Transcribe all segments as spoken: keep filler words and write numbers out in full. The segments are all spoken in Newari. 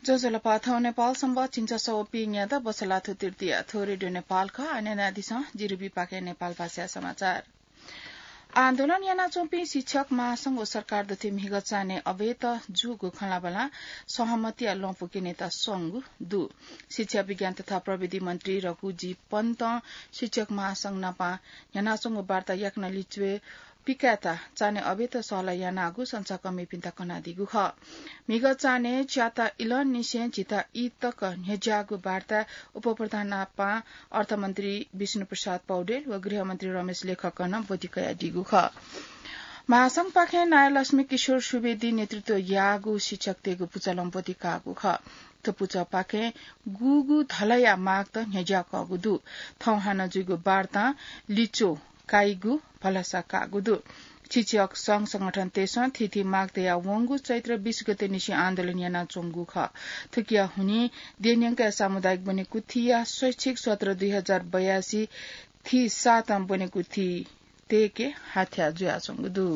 ज्वजलपा, थौं नेपाल संवत् झिंछसः व पीन्यादँ बसलाथ्व तृतीया। थ्व रेडियो नेपाल खः। आः न्यनादिसँ, जिरुबीपाखें नेपाल भाषाया समाचार। आन्दोलन यानाच्वंपिं शिक्षक महासंघ व सरकार दथुइ म्हिगः चान्हय् अबय्त जूगु खँल्हाबल्हा सहमतिया लँपु क्यनेत स्वंगु दु। शिक्षा, विज्ञान तथा प्रविधि मन्त्री रघुजी पन्तं शिक्षक महासंघ नाप न्ह्यानाच्वंगु वार्ता याकनं लिच्वय् पिकायेत चान्हय् अबय्त सहलह यानागु संचारकर्मीपिन्त कनादीगु खः। म्हिगः चान्हय् च्याता इलंनिसें झिता ई तक न्ह्यज्याःगु वार्ताय् उपप्रधान नाप अर्थमन्त्री विष्णुप्रसाद पौडेल व गृहमन्त्री रमेश लेखकं ब्वति कयादीगु खः। महासंघपाखें नायलक्ष्मी किशोर सुवेदीं नेतृत्व याःगु शिक्षकतय्गु पुचलं ब्वति काःगु खः। थ्व पुचःपाखें गुगु धलया मागत न्ह्यज्याकःगु दु। थौं हानं जुइगु वार्तां लिच्वः काइगु भलसा काःगु दु। शिक्षक संघ संगठनतय्सं थीथी माग तयावंगु चैत्र बीस गते निसें आन्दोलन यानाच्वंगु खः। थुकिया हुनिं देय्न्यंकया सामुदायिक ब्वनेकुथिया शैक्षिक सत्र दुई हजार बयासी थी सातं ब्वनेकुथि तय्के हाथ्या जुयाच्वंगु दु।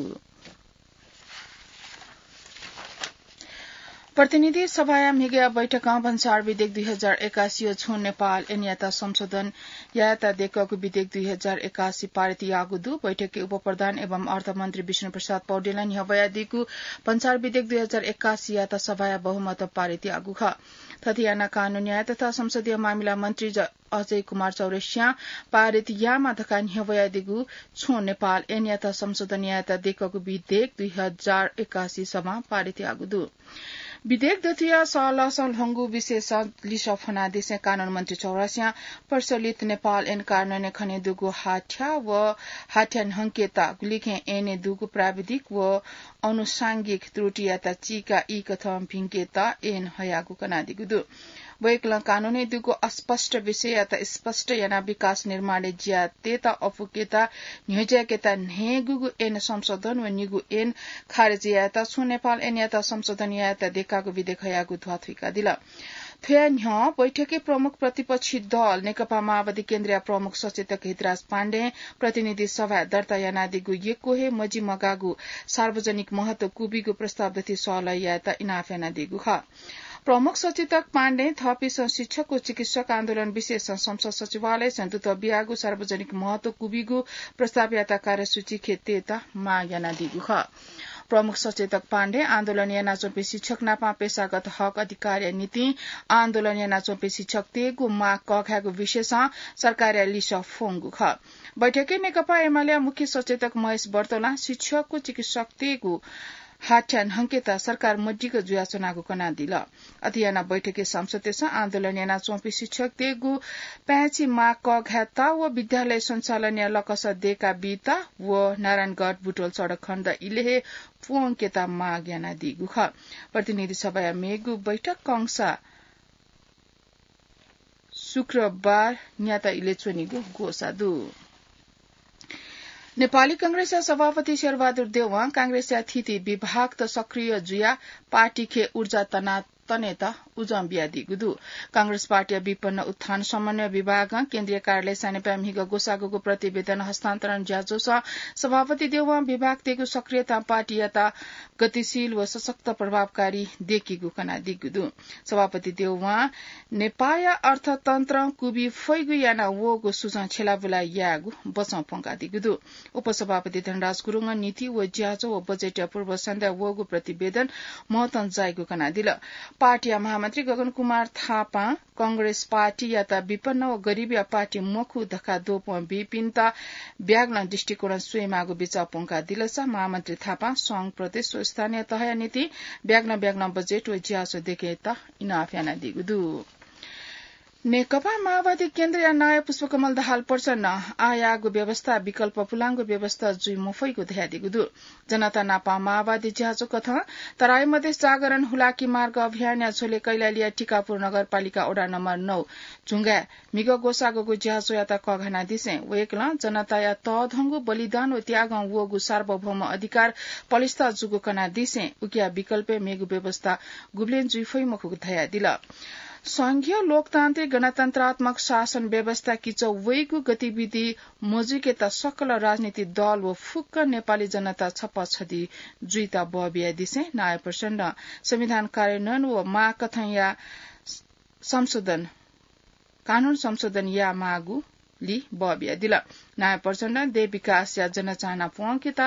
प्रतिनिधि सभाया म्हिगःया बैठकं भन्सार विधेयक दुई हजार एकासी व छुं नेपाल ऐनयात संशोधन यायेत देकःगु विधेयक दुई हजार एकासी पारित याःगु दु। बैठकय् उपप्रधान एवं अर्थमन्त्री विष्णुप्रसाद पौडेलं न्ह्यब्वयादीगु भन्सार विधेयक दुई हजार एकासीयात सभाया बहुमतं पारित याःगु खः। थथे यानाः कानून न्याय तथा संसदीय मामिला मन्त्री ज-, अजय कुमार चौरसियां पारित यायेमाः धकाः न्ह्यब्वयादीगु छुं नेपाल ऐनयात संशोधन यायेत देकःगु विधेयक दुई हजार एकासी सभां पारित याःगु दु। विधेयक दथुया सहलहसं ल्ह्वंगु विषयसं लिसः फ्वनादिसें कानून मन्त्री चौरसियां प्रचलित नेपाल ऐन कार्यान्वयनय् खनेदुगु हाथ्या व हाथ्या न्हंकेत गुलिखें ऐनय् दुगु प्राविधिक व अनुषांगिक त्रुटियात चीका ई कथं भिंकेत ऐन हयागु कनादीगु दु। वय्कलं कानूनय् दुगु अस्पष्ट विषययात स्पष्ट यानाः विकास निर्माणय् ज्या तयेत अपुकेत न्ह्यज्याकेत न्हय्गूगु ऐन संशोधन व निगू ऐन खारेज यायेत छुं नेपाल ऐनयात संशोधन यायेत देकाःगु विधेयक हयागु ध्वाथुइकादिल। थ्वया न्ह्यः बैठकय् प्रमुख प्रतिपक्षी दल नेकपा माओवादी केन्द्रया प्रमुख सचेतक हितराज पाण्डें प्रतिनिधि सभाय् दर्ता यानादीगु यक्व हे मजिमगाःगु सार्वजनिक महत्व क्वबीगु प्रस्ताव दथुइ सहलह यायेत इनाप यानादीगु खः। प्रमुख सचेतक पाण्डें थःपिन्सं शिक्षक व चिकित्सक आन्दोलन विषयसं संसद सचिवालयसं दुत बियागु सार्वजनिक महत्व क्वबीगु प्रस्तावयात कार्यसूची खे तयेत माग यानादीगु खः। प्रमुख सचेतक पाण्डें आन्दोलन यानाच्वंपिं शिक्षक नाप पेशागत हक अधिकारया निंतिं आन्दोलन यानाच्वंपिं शिक्षकतय्गु माग कःघायेगु विषयसं सरकारया लिसः फ्वंगु खः। बैठकय् नेकपा एमालेया मुख्य सचेतक महेश बर्तोलां शिक्षक व चिकित्सकतय्गु हाथ्या न्हंकेत सरकार मदिक्क जुयाच्वनागु कनादिल। अथे यानाः बैठकय् सांसदतय्सं आन्दोलन यानाच्वंपिं शिक्षकतय्गु पाय्छि माग कःघायेत व विद्यालय सञ्चालनया लकस दय्का बीत व नारायणगढ बुटवल सडक खण्ड इलय् हे प्वंकेत माग यानादीगु खः। प्रतिनिधि सभाया मेगु बैठक कंसा शुक्रबार न्याता इलय् च्वनीगु ग्वसाः दु। नेपाली कांग्रेसया सभापति शेरबहादुर देउवां कांग्रेसया थीथी विभागत सक्रिय जुयाः पार्टीखे ऊर्जा तना तनेत उजं बियादीगु दु। कांग्रेस पार्टीया विपन्न उत्थान समन्वय विभागं केन्द्रीय कार्यालय सानेपाय् म्हिगः ग्वसाः ग्वःगु प्रतिवेदन हस्तान्तरण ज्याझ्वलय् सभापति देउवां विभागतय्गु सक्रियतां पार्टीयात गतिशील व सशक्त प्रभावकारी दय्कीगु कनादीगु दु। सभापति देउवां नेपाःया अर्थतन्त्रं क्वबी फइगु याना वःगु सुझाव छ्यलाबुला यायेगु बचं प्वंकादीगु दु। उपसभापति धनराज गुरुङं नीति व ज्याझ्वः व बजेटया पूर्व सन्ध्याय् वःगु प्रतिवेदन महत्वं जाइगु कनादिल। पार्टीया महामन्त्री गगन कुमार थापां कांग्रेस पार्टीयात विपन्न व गरिबया पार्टी मखु धकाः द्वपं बीपिन्त ब्यागलं दृष्टिकोणं स्वयेमाःगु बिचाः प्वंकादिलसा महामन्त्री थापां संघ, प्रदेश व स्थानीय तहया निंतिं ब्यागलं ब्यागलं बजेट व ज्याझ्वः दय्केत इनाप यानादीगु दु। नेकपा माओवादी केन्द्रया नायः पुष्पकमल दाहाल प्रचण्डं आःयाःगु व्यवस्था विकल्प पुलांगु व्यवस्था जुइ मफइगु धयादीगु दु। जनता नाप माओवादी ज्याझ्वः कथं तराई मधेस जागरण हुलाकी मार्ग अभियानया झ्वलय् कैलालीया टिकापुर नगरपालिका वडा नम्बर नौ झुंगाय् म्हिगः ग्वसाः ग्वःगु ज्याझ्वःयात कःघानादिसें वय्कलं जनताया तःधंगु बलिदान व त्यागं वःगु सार्वभौम अधिकार पलिस्था जूगु कनादिसें उकिया विकल्पय् मेगु व्यवस्था गुबलें जुइ फइ मखुगु धयादिल। संघीय लोकतान्त्रिक गणतन्त्रात्मक शासन व्यवस्था किचः वइगु गतिविधि मजुइकेत सकल राजनीतिक दल व फुक्क नेपाली जनता छप्पा छधी जुइत बबियादिसें नायः प्रचण्डं संविधान कार्यान्वयन व माग कथंया संशोधन, कानून संशोधन यायेमाःगु ली बबियादिल। नायः प्रचण्डं देश विकासया जनचाहना प्वंकेत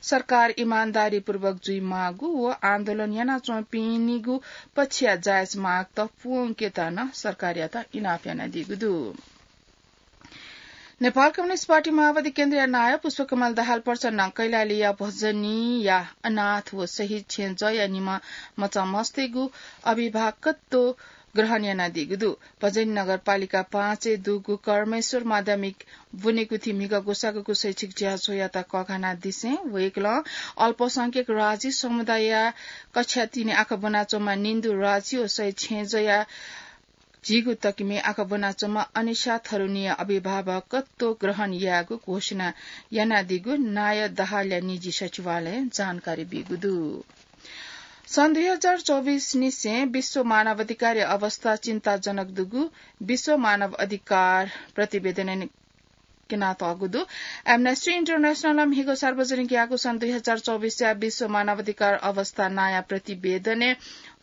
सरकार इमानदारीपूर्वक जुइमाःगु व आन्दोलन यानाच्वंपिनिगु पक्षया जायज मागत प्वंकेत नं सरकारयात इनाप यानादीगु दु। नेपाल कम्युनिस्ट पार्टी माओवादी केन्द्रया नायः पुष्पकमल दाहाल प्रचण्डं कैलालीया भजनीया अनाथ व शहीद छेँजःया निम्ह मचा मस्तय्‌गु अभिभावकत्व ग्रहण यानादीगु दु। भजनी नगरपालिका पाँचय् दुगु कर्मेश्वर माध्यमिक बुनेकुथि म्हिगः ग्वसाःग्वःगु शैक्षिक ज्याझ्वःयात कःघानादिसें वय्‌कलं अल्पसंख्यक राजी समुदायया कक्षा तीनय् आखः ब्वनाच्वंम्ह निन्दु राजी व शहीद छेँजःया झीगु तकिमय् आखः ब्वनाच्वंम्ह अनिशा थरुनिया अभिभावकत्व ग्रहण यायेगु घोषणा यानादीगु नायः दाहालया निजी सचिवालयं जानकारी बीगु दु। सन् दुई हजार चौबिस निसें विश्व मानवाधिकारया अवस्था चिन्ताजनक दुगु विश्व मानव अधिकार प्रतिवेदनय् क्यनातःगु दु। Amnesty International-ं म्हिगः सार्वजनिक याःगु सन् दुई हजार चौबिसया विश्व मानवाधिकार अवस्था नायः प्रतिवेदनय्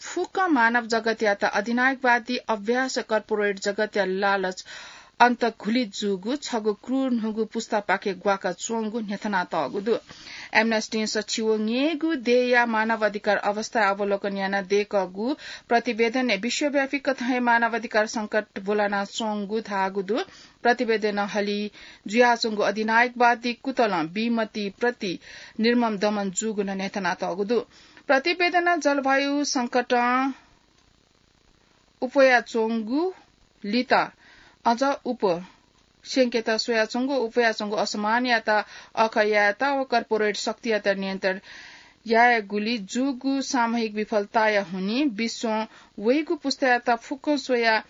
फुक्क मानव जगतयात अधिनायकवादी अभ्यास, कर्पोरेट जगतया लालच अन्तर्घुलित जूगु छगू क्रूर न्हूगु पुस्तापाखे ग्वाकाच्वंगु न्ह्यथनातःगु दु। Amnesty-ं सछिंन्हय्‌गू देय्‌या मानव अधिकार अवस्था अवलोकन यानाः दय्‌कूगु प्रतिवेदनय् विश्वव्यापी कथं हे मानव अधिकार संकट ब्वलानाच्वंगु धाःगु दु। प्रतिवेदनं हलिं जुयाच्वंगु अधिनायकवादी कुतलं विमतिप्रति निर्मम दमन जूगु नं न्ह्यथनातःगु दु। प्रतिवेदनं जलवायु संकटं उप्वयाच्वंगु लित अझ उप स्यंकेत स्वयाच्वंगु, उप्वयाच्वंगु असमानयात अःखः यायेत व कर्पोरेट शक्तियात नियन्त्रण यायेगुली जूगु सामूहिक विफलताया हुनिं विश्वं वइगु पुस्तायात फुक्कं स्वयाः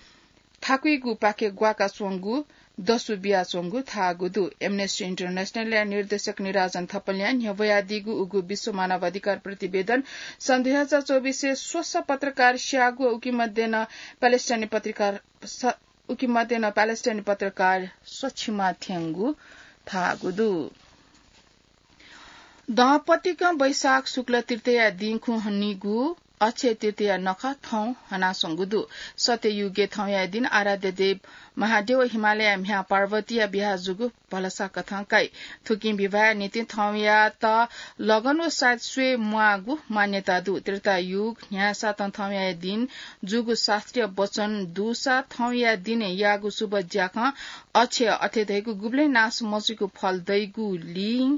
थाकुइगुपाखे ग्वाकाच्वंगु दसु बियाच्वंगु धाःगु दु। Amnesty International-या निर्देशक निराजन थपलियां न्ह्यब्वयादीगु उगु विश्व मानव अधिकार प्रतिवेदन सन् दुई हजार चौबिसय् स्वस्वः पत्रकार स्याःगु, उकी मध्ये नं प्यालेस्टाइनी पत्रकार स-, उकी मध्ये नं प्यालेस्टाइनी पत्रकार स्वछिमा थ्यंगु धाःगु दु। दँपतिकं वैशाख शुक्ल तृतीया दिं खुं हनीगु अक्षय तृतीया नखः थौं हनाच्वंगु दु। सत्ययुगय् थौंया दिं आराध्य देव महादेव व हिमालयया म्ह्याय् पार्वतीया बियाः जूगु भलसा कथं काइ। थुकिं विवाहया निंतिं थौंयात लगन व साइत स्वये म्वाःगु मान्यता दु। त्रेतायुग न्ह्यासातं थौंया दिं जूगु शास्त्रीय वचन दुसा थौंया दिनय् याःगु शुभ ज्याखँ अक्षय अथे धइगु गुबलें नाश मजुइगु फल दइगुलिं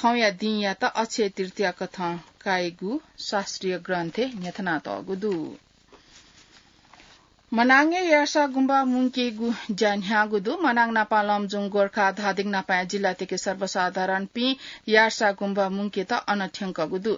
थौंया दिंयात अक्षय तृतीया कथं काइगु शास्त्रीय ग्रन्थय् न्ह्यथनातःगु दु। मनाङय् यार्सा गुम्बा मुंकेगु ज्या न्ह्याःगु दु। मनाङ नापं लमजुङ गोर्खा धादिङ नापंया जिल्लातय्‌के सर्वसाधारणपिं यार्सा गुम्बा मुंकेत अन थ्यंकःगु दु।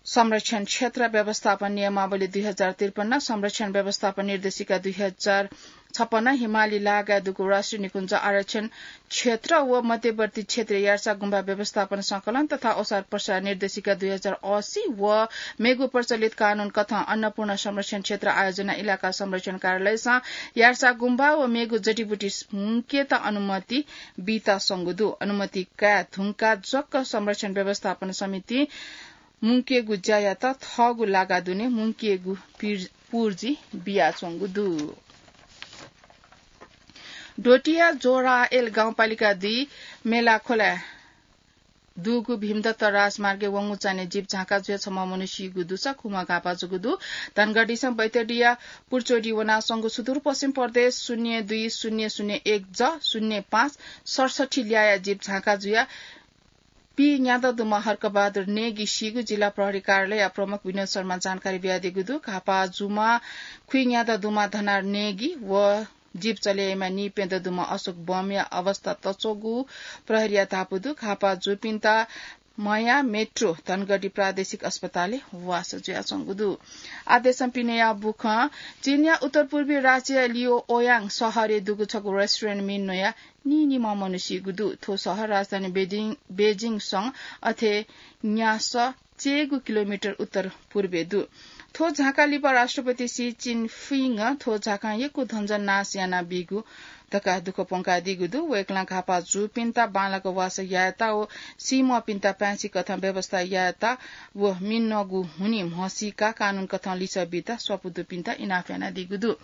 संरक्षण क्षेत्र व्यवस्थापन नियमावली दुई हजार त्रिपन्न, संरक्षण व्यवस्थापन निर्देशिका दुई हजार छपन्न, हिमाली लागाय् दुगु राष्ट्रिय निकुञ्ज आरक्षण क्षेत्र व मध्यवर्ती क्षेत्र यार्सा गुम्बा व्यवस्थापन संकलन तथा ओसार प्रसार निर्देशिका दुई हजार असी व मेगु प्रचलित कानून कथं अन्नपूर्ण संरक्षण क्षेत्र आयोजना इलाका संरक्षण कार्यालयसं यार्सा गुम्बा व मेगु जडीबुटी मुंकेत अनुमति बीत संगु दु। अनुमति काये धुंका जक संरक्षण व्यवस्थापन समिति मुंकेगु ज्यायात थःगु लागा दुने मुंकेगु पिर-, पुर्जी बियाच्वंगु दु। डोटीया जोरायल गाउँपालिका दुई मेलाखोला दुगु भीमदत्त राजमार्गय् वंगु चान्हय् जीप झांका जुया छम्ह मनू सीगु दुसा खुम्ह घाःपाः जूगु दु। धनगढीसं बैतडीया पुर्चोडी वनाच्वंगु सुदूरपश्चिम प्रदेश शून्य दुई शून्य शून्य एक ज शून्य पाँच सडसठी ल्याःया जीप झांका जुया पीन्यादँ दुम्ह हर्कबहादुर नेगी सीगु जिल्ला प्रहरी कार्यालयया प्रमुख विनोद शर्मां जानकारी बियादीगु दु। घाःपाः जूम्ह खुइन्यादँ दुम्ह धनार नेगी व जीप चले याइम्ह नीप्यदँ दुम्ह अशोक बमया अवस्था तच्वःगु प्रहरीया धापू दु। घाःपाः जूपिन्त मया मेट्रो धनगढी प्रादेशिक अस्पतालय् वासः जुयाच्वंगु दु। आदेशं पिनेया बुखं चीनया उत्तर पूर्वी राज्य लियोओयाङ शहरय् दुगु छगू रेस्टुरेन्ट मि न्वया नीनिम्ह मनू सीगु दु। थ्व शहर राजधानी बेजिङ, बेजिङसं अथे न्यासः चय्‌गु किलोमिटर उत्तर पूर्वय् दु। थ्व झाँका लिपा राष्ट्रपति सी चिनफिङ थ्व झाँकां यक्व धनजन नाश यानाबीगु धकाः दुःख प्वंकादीगु दु। वय्कलं घाःपाः जूपिन्त बांलाक वासः यायेत व सीम्वःपिन्त पाय्छि कथं व्यवस्था यायेत व मिनगु हुनिं म्हसीका कानून कथं लिसः बीत स्वापू दुपिन्त इनाप यानादीगु दु।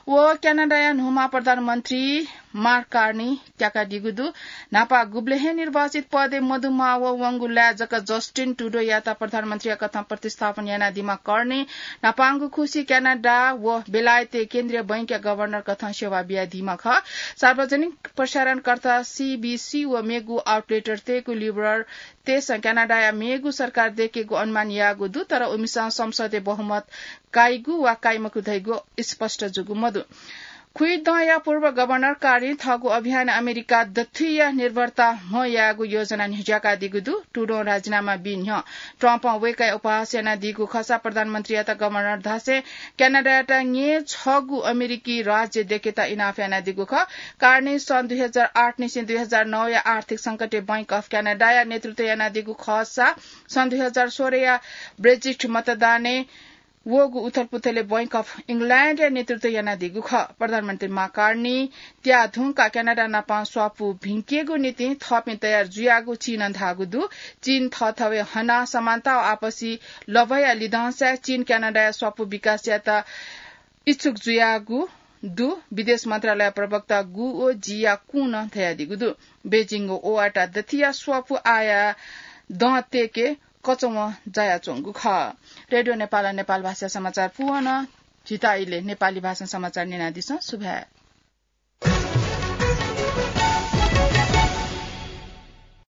व क्यानाडाया न्हूम्ह प्रधानमन्त्री मार्क कार्नी त्याकादीगु दु। न्हापा गुबलें हे निर्वाचित पदय् मदुम्ह व वंगु लाय् जक जस्टिन ट्रुडोयात प्रधानमन्त्रीया कथं प्रतिस्थापन यानादीम्ह कार्नी न्हापांगु खुसि क्यानाडा व बेलायतय् केन्द्रीय बैंकया गभर्नर कथं सेवा बियादीम्ह खः। सार्वजनिक प्रसारणकर्ता सीबीसी व मेगु आउटलेटतय्गु लिबरल तय्सं क्यानाडाया मेगु सरकार दय्केगु अनुमान याःगु दु, तर उमिसं संसदय् बहुमत काइगु वा काइमखु धइगु स्पष्ट जूगु मदु। खुइदँया पूर्व गभर्नर कार्नी थःगु अभियान अमेरिका दथुइया निर्भरता म्ह यायेगु योजना न्ह्यज्याकादीगु दु। ट्रुडों राजीनामा बी न्ह्यः ट्रम्पं वय्कःया उपहास यानादीगु खःसा प्रधानमन्त्रीयात गभर्नर धासें क्यानाडायात ङ्येँ छगू अमेरिकी राज्य दय्केत इनाप यानादीगु खः। कार्नी सन् दुई हजार आठ निसें दुई हजार नौ या आर्थिक संकटय् बैंक अफ क्यानाडाया नेतृत्व यानादीगु खःसा सन् दुई हजार सोह्र या ब्रेक्जिट मतदानय् वःगु उथलपुथलय् बैंक अफ इंग्ल्याण्डया नेतृत्व यानादीगु खः। प्रधानमन्त्री मार्क कार्नी त्याः धुंकाः क्यानाडा नाप स्वापू भिंकेगु निंतिं थःपिं तयार जुयागु चीनं धाःगु दु। चीन थःथवय् हनाः समानता व आपसी लभ्वया लिधंसाय् चीन क्यानाडाया स्वापू विकास यायेत इच्छुक जुयागु दु। विदेश मन्त्रालय प्रवक्ता गु ओजियाकुं नं धयादीगु दु। बेजिङ व ओवाटा दथुइया स्वापू आःया दँ तय्के कचवं जायाच्वंगु खः। रेडियो नेपालं नेपाल भाषा समाचार पूवन झीत इलय् नेपाली भाषां समाचार न्यनादिसँ। सुभाय्।